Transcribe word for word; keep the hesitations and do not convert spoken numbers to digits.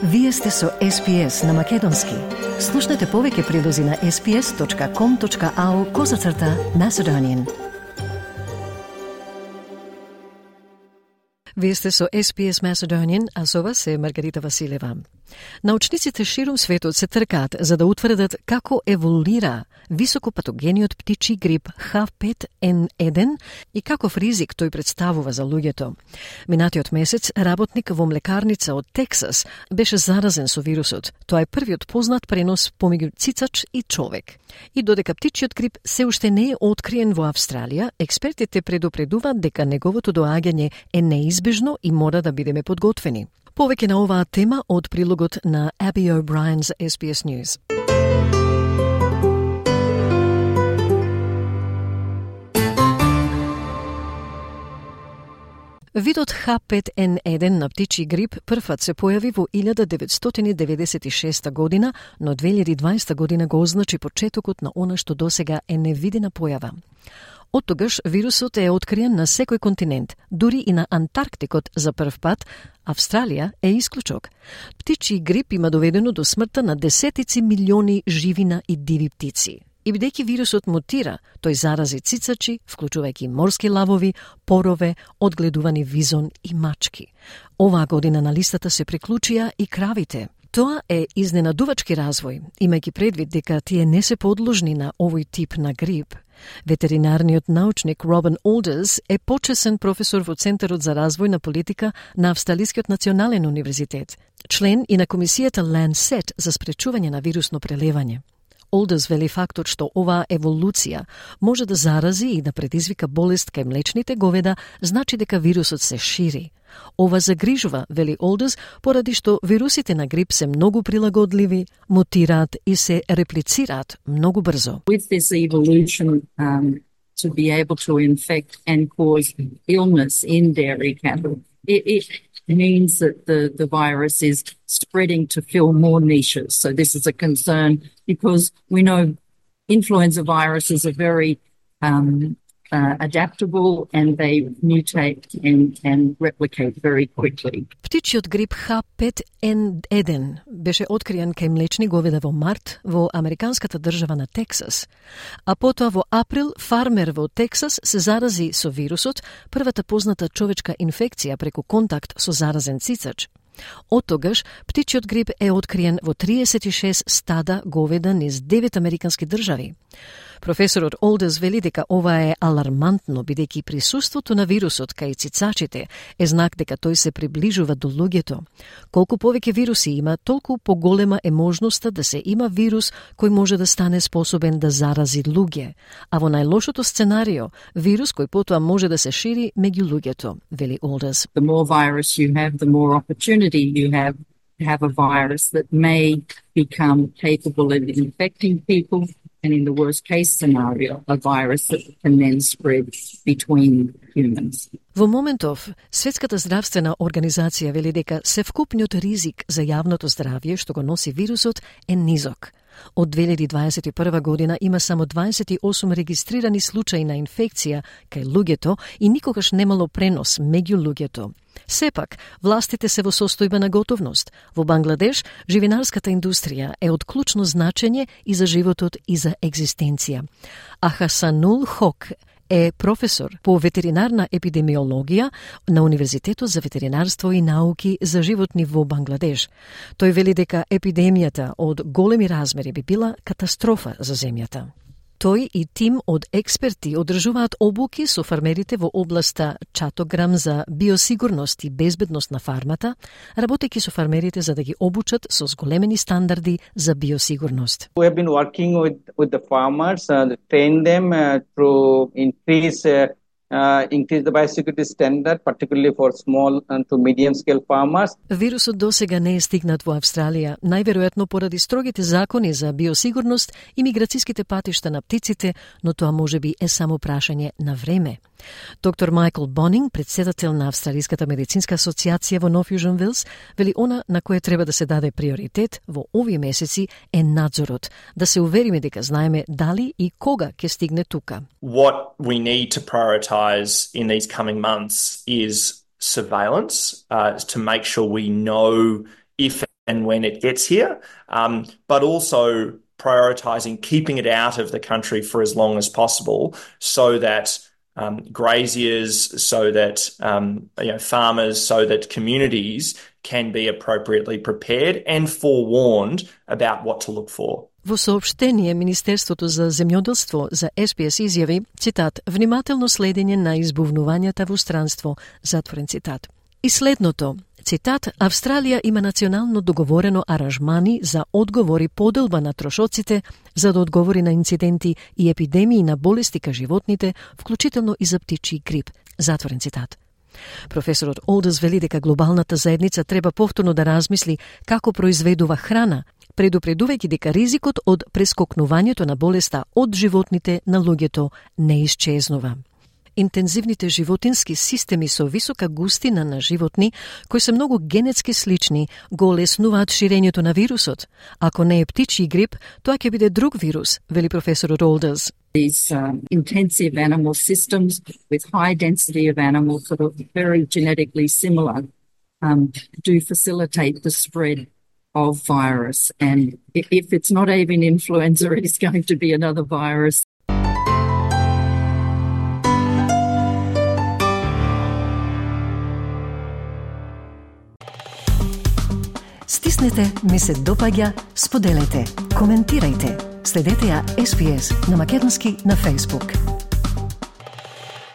Вие сте со Ес Пи Ес на Македонски. Слушнете повеќе прилози на ес пи ес точка ком точка ау козацрта Macedonian. Вие сте со Ес Пи Ес Macedonian, а со вас е Маргарита Василева. Научниците ширум светот се тркаат за да утврдат како еволуира високопатогениот птичи грип Х пет ен еден и каков ризик тој представува за луѓето. Минатиот месец работник во млекарница од Тексас беше заразен со вирусот. Тоа е првиот познат пренос помеѓу цицач и човек. И додека птичиот грип се уште не е откриен во Австралија, експертите предупредуваат дека неговото доаѓање е неизбежно и мора да бидеме подготвени. Повеќе на оваа тема од прилогот на Аби О'Брајен за Ес Би Ес News. Видот Х пет ен еден на птичи грип првпат се појави во илјада деветстотини деветдесет и шеста година, но две илјади и дваесета година го означи почетокот на она што досега е невидена појава. Од тогаш вирусот е откриен на секој континент, дури и на Антарктикот за прв пат. Австралија е исклучок. Птичи грип има доведено до смртта на десетици милиони живина и диви птици. И бидејќи вирусот мутира, тој зарази цицачи, вклучувајќи морски лавови, порове, одгледувани визон и мачки. Оваа година на листата се приклучија и кравите. Тоа е изненадувачки развој, имајќи предвид дека тие не се подложни на овој тип на грип. Ветеринарниот научник Робин Олдерс е почесен професор во Центарот за развој на политика на Австралискиот национален универзитет, член и на комисијата Lancet за спречување на вирусно прелевање. Олдерс вели фактот што оваа еволуција може да зарази и да предизвика болест кај млечните говеда, значи дека вирусот се шири. Ова загрижува, вели Олдерс, поради што вирусите на грип се многу прилагодливи, мутираат и се реплицираат многу брзо. With this evolution um, to be able to infect and cause illness in dairy cattle, it, it means that the, the virus is spreading to fill more niches. So this is a concern because we know influenza viruses are very um, uh, adaptable and they mutate and, and replicate very quickly. Птичиот грип Х пет ен еден беше откриен кај млечни говеда во март во американската држава на Тексас, а потоа во април фармер во Тексас се зарази со вирусот, првата позната човечка инфекција преку контакт со заразен цицач. Од тогаш, птичиот грип е откриен во триесет и шест стада говеда низ девет американски држави. Професорот Олдерс вели дека ова е алармантно, бидејќи присуството на вирусот кај цицачите е знак дека тој се приближува до луѓето. Колку повеќе вируси има, толку поголема е можноста да се има вирус кој може да стане способен да зарази луѓе, а во најлошото сценарио, вирус кој потоа може да се шири меѓу луѓето, вели Олдерс. The more virus you have, the more opportunity you have to have a virus that may become capable of infecting people, and in the worst case scenario, a virus that can then spread between humans. Во моментов, Светската здравствена организација вели дека севкупниот ризик за јавното здравје што го носи вирусот е низок. Од две илјади дваесет и прва година има само дваесет и осум регистрирани случаи на инфекција кај луѓето и никогаш немало пренос меѓу луѓето. Сепак, властите се во состојба на готовност. Во Бангладеш, живинарската индустрија е од клучно значење и за животот и за екзистенција. А Хасанул Хок е професор по ветеринарна епидемиологија на Универзитетот за ветеринарство и науки за животни во Бангладеш. Тој вели дека епидемијата од големи размери би била катастрофа за земјата. Тој и тим од експерти одржуваат обуки со фармерите во областа Чатограм за биосигурност и безбедност на фармата, работејќи со фармерите за да ги обучат со зголемени стандарди за биосигурност. We have been working with with the farmers, uh, to train them uh, to increase uh, uh, increase the biosecurity standard, particularly for small and to medium scale farmers. Вирусот досега не е стигнат во Австралија, најверојатно поради строгите закони за биосигурност и миграциските патишта на птиците, но тоа можеби е само прашање на време. Доктор Майкл Бонинг, председател на Австралиската медицинска асоциација во Нов Јужен Велс, вели она на кое треба да се даде приоритет во овие месеци е надзорот, да се увериме дека знаеме дали и кога ќе стигне тука. What we need to prioritize in these coming months is surveillance uh, to make sure we know if and when it gets here, um, but also prioritising keeping it out of the country for as long as possible so that um, graziers, so that um, you know, farmers, so that communities can be appropriately prepared and forewarned about what to look for. Во соопштение, Министерството за земјоделство за Ес Би Ес изјави, цитат, внимателно следење на избувнувањата во странство, затворен цитат. И следното, цитат, Австралија има национално договорено аранжмани за одговори поделба на трошоците за да одговори на инциденти и епидемии на болести ка животните, вклучително и за птичи грип, затворен цитат. Професорот Олдерс вели дека глобалната заедница треба повторно да размисли како произведува храна, предупредувајќи дека ризикот од прескокнувањето на болеста од животните на луѓето не исчезнува. Интензивните животински системи со висока густина на животни, кои се многу генетски слични, го олеснуваат ширењето на вирусот. Ако не е птичи грип, тоа ќе биде друг вирус, вели професорот Олдерс. These um, intensive animal systems with high density of animals that are very genetically similar um, do facilitate the spread of virus. And if it's not avian influenza, it is going to be another virus. Стиснете, ми се допаѓа, споделете, коментирајте. Следете ја Ес Би Ес на македонски на Facebook.